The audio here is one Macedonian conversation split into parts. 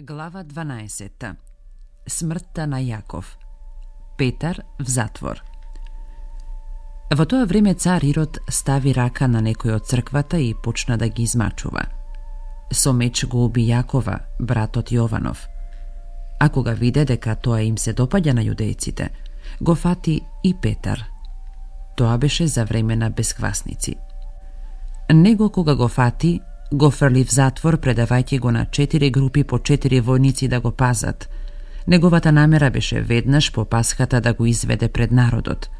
Глава 12. Смртта на Јаков. Петар в затвор. Во тоа време цар Ирод стави рака на некој од црквата и почна да ги измачува. Со меч го уби Јакова, братот Јованов. А кога виде дека тоа им се допаѓа на јудејците, го фати и Петар. Тоа беше за време на бесквасници. Него кога го фати, го фрли в затвор, предавајќи го на 4 групи по 4 војници да го пазат. Неговата намера беше веднаш по Пасхата да го изведе пред народот.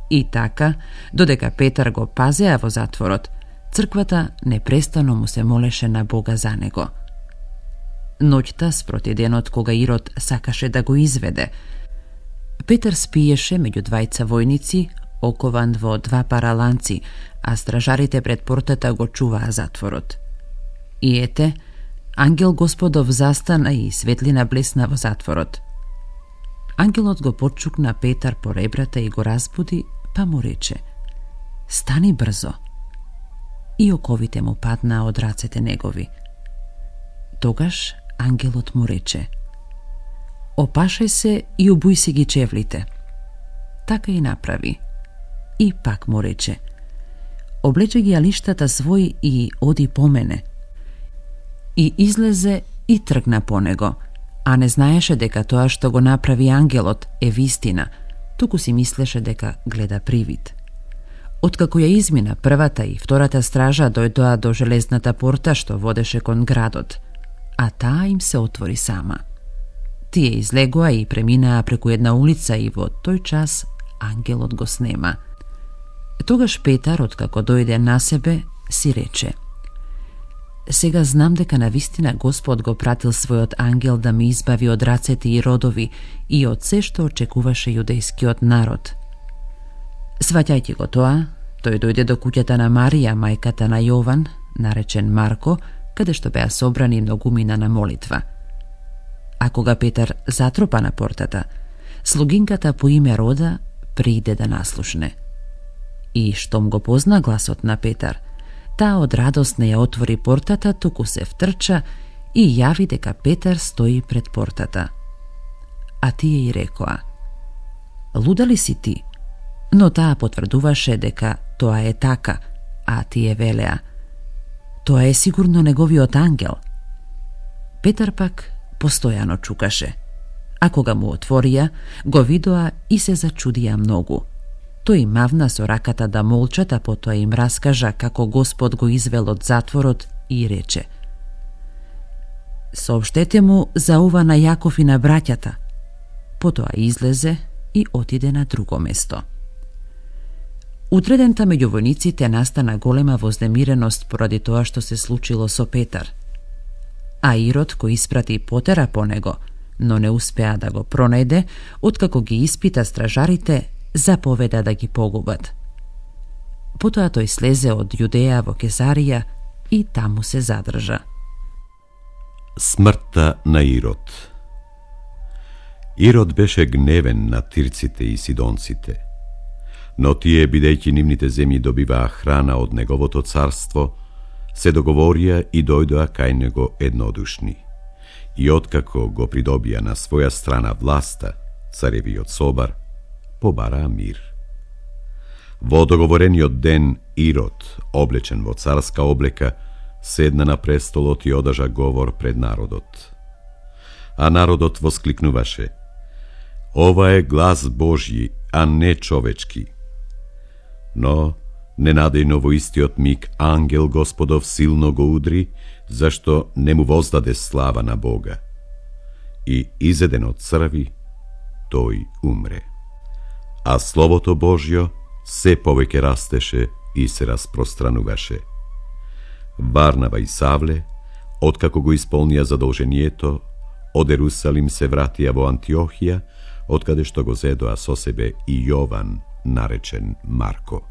И така, додека Петар го пазеа во затворот, црквата непрестано му се молеше на Бога за него. Ноќта спроти денот кога Ирод сакаше да го изведе, Петар спиеше меѓу двајца војници, окован во 2 пара ланци, а стражарите пред портата го чуваа затворот. И ете, ангел Господов застана и светлина блесна во затворот. Ангелот го почукна Петар по ребрата и го разбуди, па му рече: "Стани брзо." И оковите му паднаа од рацете негови. Тогаш ангелот му рече: "Опашај се и обуј си ги чевлите." Така и направи. И пак му рече: "Облече ги алиштата своји и оди по мене." И излезе и тргна по него, а не знаеше дека тоа што го направи ангелот е вистина, туку си мислеше дека гледа привид. Откако ја измина првата и втората стража, дојдоа до железната порта што водеше кон градот, а таа им се отвори сама. Тие излегоа и преминаа преку една улица и во тој час ангелот го снема. Тогаш Петар, откако дојде на себе, си рече: "Сега знам дека навистина Господ го пратил својот ангел да ме избави од рацете и родови и од се што очекуваше јудејскиот народ." Сваќајќи го тоа, тој дојде до куќата на Марија, мајката на Јован, наречен Марко, каде што беа собрани многумина на молитва. А кога Петар затропа на портата, слугинката по име Рода прииде да наслушне. И штом го позна гласот на Петар, таа од радост не ја отвори портата, туку се втрча и јави дека Петар стои пред портата. А тие и рекоа: "Луда ли си ти?" Но таа потврдуваше дека тоа е така, а тие велеа: "Тоа е сигурно неговиот ангел." Петар пак постојано чукаше, а кога му отворија, го видоа и се зачудија многу. Тој мавна со раката да молчат, а потоа им раскажа како Господ го извел од затворот и рече: "Сообштете му за ова на Јаков и на браќата." Потоа излезе и отиде на друго место. Утредента меѓу војниците настана голема вознемиреност поради тоа што се случило со Петар. А Ирод, кој испрати потера по него, но не успеа да го пронајде, откако ги испита стражарите, заповеда да ги погубат. Потоа тој слезе од Јудеја во Кезарија и таму се задржа. Смртта на Ирод. Ирод беше гневен на тирците и сидонците, но тие, бидејќи нивните земји добиваа храна од неговото царство, се договорија и дојдоа кај него еднодушни. И откако го придобија на своја страна власта, царевиот собар побараа мир. Во договорениот ден Ирод, облечен во царска облека, седна на престолот и одржа говор пред народот. А народот воскликнуваше: "Ова е глас Божји, а не човечки." Но ненадејно во истиот миг ангел Господов силно го удри, зашто не му воздаде слава на Бога. И изеден од црви, тој умре. А Словото Божјо се повеќе растеше и се распространуваше. Варнава и Савле, откако го исполнија задолжението, од Ерусалим се вратија во Антиохија, откаде што го зедоа со себе и Јован, наречен Марко.